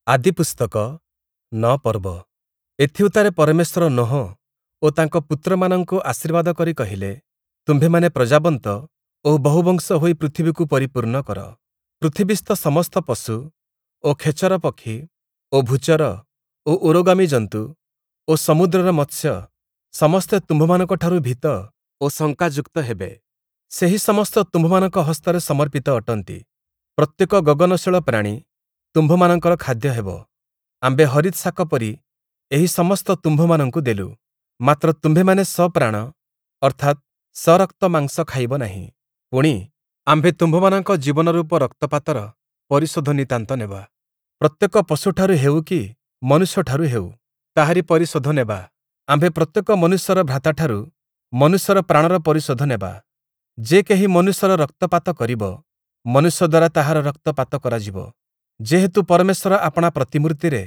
ଆଦିପୁସ୍ତକ ନଅ ପର୍ବ ଏଥିଉତ୍ତାରେ ପରମେଶ୍ୱର ନୋହ ଓ ତାଙ୍କ ପୁତ୍ରମାନଙ୍କୁ ଆଶୀର୍ବାଦ କରି କହିଲେ, ତୁମ୍ଭେମାନେ ପ୍ରଜାବନ୍ତ ଓ ବହୁବଂଶ ହୋଇ ପୃଥିବୀକୁ ପରିପୂର୍ଣ୍ଣ କର। ପୃଥିବୀସ୍ଥ ସମସ୍ତ ପଶୁ ଓ ଖେଚର ପକ୍ଷୀ ଓ ଭୂଚର ଓ ଉରୋଗାମୀ ଜନ୍ତୁ ଓ ସମୁଦ୍ରର ମତ୍ସ୍ୟ ସମସ୍ତେ ତୁମ୍ଭମାନଙ୍କଠାରୁ ଭୀତ ଓ ଶଙ୍କାଯୁକ୍ତ ହେବେ। ସେହି ସମସ୍ତ ତୁମ୍ଭମାନଙ୍କ ହସ୍ତରେ ସମର୍ପିତ ଅଟନ୍ତି। ପ୍ରତ୍ୟେକ ଗଗନଶୀଳ ପ୍ରାଣୀ ତୁମ୍ଭମାନଙ୍କର ଖାଦ୍ୟ ହେବ। ଆମ୍ଭେ ହରିତ୍ ଶାକ ପରି ଏହି ସମସ୍ତ ତୁମ୍ଭମାନଙ୍କୁ ଦେଲୁ। ମାତ୍ର ତୁମ୍ଭେମାନେ ସପ୍ରାଣ ଅର୍ଥାତ୍ ସରକ୍ତ ମାଂସ ଖାଇବ ନାହିଁ। ପୁଣି, ଆମ୍ଭେ ତୁମ୍ଭମାନଙ୍କ ଜୀବନରୂପ ରକ୍ତପାତର ପରିଶୋଧ ନିତାନ୍ତ ନେବା। ପ୍ରତ୍ୟେକ ପଶୁଠାରୁ ହେଉ କି ମନୁଷ୍ୟଠାରୁ ହେଉ, ତାହାରି ପରିଶୋଧ ନେବା। ଆମ୍ଭେ ପ୍ରତ୍ୟେକ ମନୁଷ୍ୟର ଭ୍ରାତାଠାରୁ ମନୁଷ୍ୟର ପ୍ରାଣର ପରିଶୋଧ ନେବା। ଯେ କେହି ମନୁଷ୍ୟର ରକ୍ତପାତ କରିବ, ମନୁଷ୍ୟ ଦ୍ୱାରା ତାହାର ରକ୍ତପାତ କରାଯିବ। ଯେହେତୁ ପରମେଶ୍ୱର ଆପଣା ପ୍ରତିମୂର୍ତ୍ତିରେ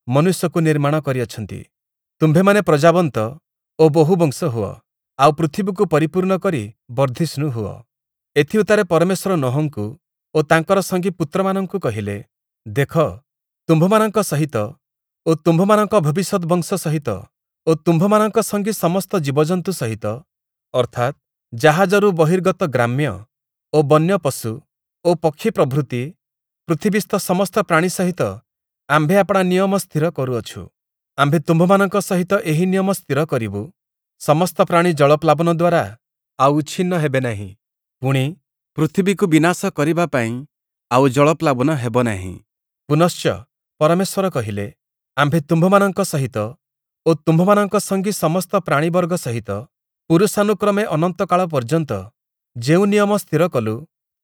ମନୁଷ୍ୟକୁ ନିର୍ମାଣ କରିଅଛନ୍ତି। ତୁମ୍ଭେମାନେ ପ୍ରଜାବନ୍ତ ଓ ବହୁବଂଶ ହୁଅ, ଆଉ ପୃଥିବୀକୁ ପରିପୂର୍ଣ୍ଣ କରି ବର୍ଦ୍ଧିଷ୍ଣୁ ହୁଅ। ଏଥିଉତ୍ତାରେ ପରମେଶ୍ୱର ନୋହଙ୍କୁ ଓ ତାଙ୍କର ସଙ୍ଗୀ ପୁତ୍ରମାନଙ୍କୁ କହିଲେ, ଦେଖ, ତୁମ୍ଭମାନଙ୍କ ସହିତ ଓ ତୁମ୍ଭମାନଙ୍କ ଭବିଷ୍ୟତ୍ ବଂଶ ସହିତ ଓ ତୁମ୍ଭମାନଙ୍କ ସଙ୍ଗୀ ସମସ୍ତ ଜୀବଜନ୍ତୁ ସହିତ, ଅର୍ଥାତ୍ ଜାହାଜରୁ ବହିର୍ଗତ ଗ୍ରାମ୍ୟ ଓ ବନ୍ୟ ପଶୁ ଓ ପକ୍ଷୀ ପ୍ରଭୃତି ପୃଥିବୀସ୍ଥ ସମସ୍ତ ପ୍ରାଣୀ ସହିତ ଆମ୍ଭେ ଆପଣା ନିୟମ ସ୍ଥିର କରୁଅଛୁ। ଆମ୍ଭେ ତୁମ୍ଭମାନଙ୍କ ସହିତ ଏହି ନିୟମ ସ୍ଥିର କରିବୁ, ସମସ୍ତ ପ୍ରାଣୀ ଜଳପ୍ଲାବନ ଦ୍ୱାରା ଆଉ ଉଚ୍ଛିନ୍ନ ହେବେ ନାହିଁ। ପୁଣି, ପୃଥିବୀକୁ ବିନାଶ କରିବା ପାଇଁ ଆଉ ଜଳପ୍ଲାବନ ହେବ ନାହିଁ। ପୁନଶ୍ଚ ପରମେଶ୍ୱର କହିଲେ, ଆମ୍ଭେ ତୁମ୍ଭମାନଙ୍କ ସହିତ ଓ ତୁମ୍ଭମାନଙ୍କ ସଙ୍ଗୀ ସମସ୍ତ ପ୍ରାଣୀବର୍ଗ ସହିତ ପୁରୁଷାନୁକ୍ରମେ ଅନନ୍ତକାଳ ପର୍ଯ୍ୟନ୍ତ ଯେଉଁ ନିୟମ ସ୍ଥିର କଲୁ,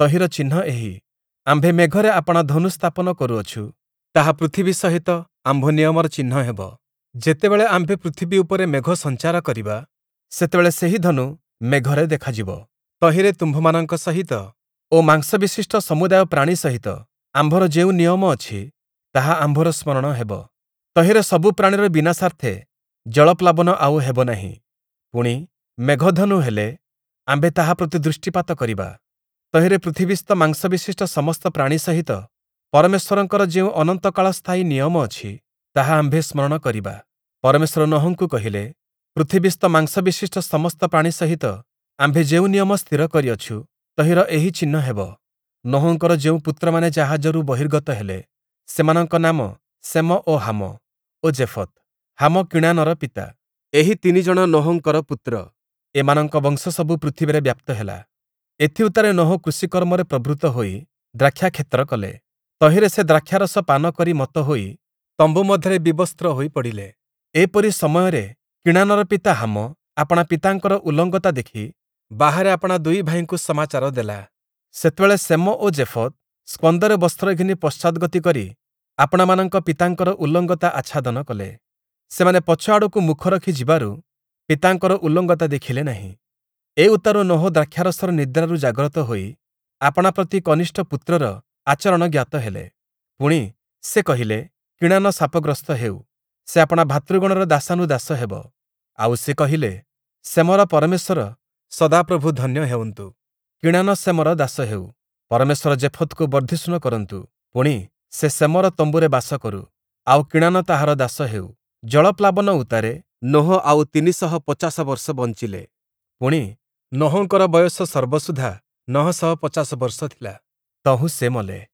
ତହିଁର ଚିହ୍ନ ଏହି, ଆମ୍ଭେ ମେଘରେ ଆପଣା ଧନୁ ସ୍ଥାପନ କରୁଅଛୁ, ତାହା ପୃଥିବୀ ସହିତ ଆମ୍ଭ ନିୟମର ଚିହ୍ନ ହେବ। ଯେତେବେଳେ ଆମ୍ଭେ ପୃଥିବୀ ଉପରେ ମେଘ ସଞ୍ଚାର କରିବା, ସେତେବେଳେ ସେହି ଧନୁ ମେଘରେ ଦେଖାଯିବ। ତହିଁରେ ତୁମ୍ଭମାନଙ୍କ ସହିତ ଓ ମାଂସବିଶିଷ୍ଟ ସମୁଦାୟ ପ୍ରାଣୀ ସହିତ ଆମ୍ଭର ଯେଉଁ ନିୟମ ଅଛି, ତାହା ଆମ୍ଭର ସ୍ମରଣ ହେବ। ତହିଁରେ ସବୁ ପ୍ରାଣୀର ବିନାଶାର୍ଥେ ଜଳପ୍ଲାବନ ଆଉ ହେବ ନାହିଁ। ପୁଣି, ମେଘଧନୁ ହେଲେ ଆମ୍ଭେ ତାହା ପ୍ରତି ଦୃଷ୍ଟିପାତ କରିବା। ତହିଁରେ ପୃଥିବୀସ୍ଥ ମାଂସବିଶିଷ୍ଟ ସମସ୍ତ ପ୍ରାଣୀ ସହିତ ପରମେଶ୍ୱରଙ୍କର ଯେଉଁ ଅନନ୍ତକାଳ ସ୍ଥାୟୀ ନିୟମ ଅଛି, ତାହା ଆମ୍ଭେ ସ୍ମରଣ କରିବା। ପରମେଶ୍ୱର ନୋହଙ୍କୁ କହିଲେ, ପୃଥିବୀସ୍ଥ ମାଂସବିଶିଷ୍ଟ ସମସ୍ତ ପ୍ରାଣୀ ସହିତ ଆମ୍ଭେ ଯେଉଁ ନିୟମ ସ୍ଥିର କରିଅଛୁ, ତହିଁର ଏହି ଚିହ୍ନ ହେବ। ନୋହଙ୍କର ଯେଉଁ ପୁତ୍ରମାନେ ଜାହାଜରୁ ବହିର୍ଗତ ହେଲେ, ସେମାନଙ୍କ ନାମ ଶେମ ଓ ହାମ ଓ ଯେଫତ୍। ହାମ କିଣାନର ପିତା। ଏହି ତିନିଜଣ ନୋହଙ୍କର ପୁତ୍ର। ଏମାନଙ୍କ ବଂଶ ସବୁ ପୃଥିବୀରେ ବ୍ୟାପ୍ତ ହେଲା। ଏଥିଉତ୍ତାରେ ନୋହ କୃଷିକର୍ମରେ ପ୍ରବୃତ୍ତ ହୋଇ ଦ୍ରାକ୍ଷାକ୍ଷେତ୍ର କଲେ। ତହିଁରେ ସେ ଦ୍ରାକ୍ଷାରସ ପାନ କରି ମତ୍ତ ହୋଇ ତମ୍ବୁ ମଧ୍ୟରେ ବିବସ୍ତ୍ର ହୋଇ ପଡ଼ିଲେ। ଏପରି ସମୟରେ କିଣାନର ପିତା ହାମ ଆପଣା ପିତାଙ୍କର ଉଲଙ୍ଗତା ଦେଖି ବାହାରେ ଆପଣା ଦୁଇ ଭାଇଙ୍କୁ ସମାଚାର ଦେଲା। ସେତେବେଳେ ଶେମ ଓ ଯେଫତ୍ ସ୍କନ୍ଦରେ ବସ୍ତ୍ର ଘେନି ପଶ୍ଚାଦ୍‌ଗତି କରି ଆପଣାମାନଙ୍କ ପିତାଙ୍କର ଉଲଙ୍ଗତା ଆଚ୍ଛାଦନ କଲେ। ସେମାନେ ପଛ ଆଡ଼କୁ ମୁଖ ରଖି ଯିବାରୁ ପିତାଙ୍କର ଉଲଙ୍ଗତା ଦେଖିଲେ ନାହିଁ। ଏ ଉତ୍ତାରୁ ନୋହ ଦ୍ରାକ୍ଷାରସର ନିଦ୍ରାରୁ ଜାଗ୍ରତ ହୋଇ ଆପଣା ପ୍ରତି କନିଷ୍ଠ ପୁତ୍ରର ଆଚରଣ ଜ୍ଞାତ ହେଲେ। ପୁଣି, ସେ କହିଲେ, କିଣାନ ଶାପଗ୍ରସ୍ତ ହେଉ, ସେ ଆପଣା ଭ୍ରାତୃଗଣର ଦାସାନୁଦାସ ହେବ। ଆଉ ସେ କହିଲେ, ଶେମର ପରମେଶ୍ୱର ସଦାପ୍ରଭୁ ଧନ୍ୟ ହେଉନ୍ତୁ। କିଣାନ ଶେମର ଦାସ ହେଉ। ପରମେଶ୍ୱର ଯେଫତ୍‌କୁ ବର୍ଦ୍ଧିଷ୍ଣୁ କରନ୍ତୁ। ପୁଣି, ସେ ଶେମର ତମ୍ବୁରେ ବାସ କରୁ, ଆଉ କିଣାନ ତାହାର ଦାସ ହେଉ। ଜଳପ୍ଲାବନ ଉତ୍ତାରେ ନୋହ ଆଉ ୩୫୦ ବର୍ଷ ବଞ୍ଚିଲେ। ପୁଣି, ନୋହଙ୍କର ବୟସ ସର୍ବସୁଦ୍ଧା ୯୫୦ ବର୍ଷ ଥିଲା, ତହୁଁ ସେ ମଲେ।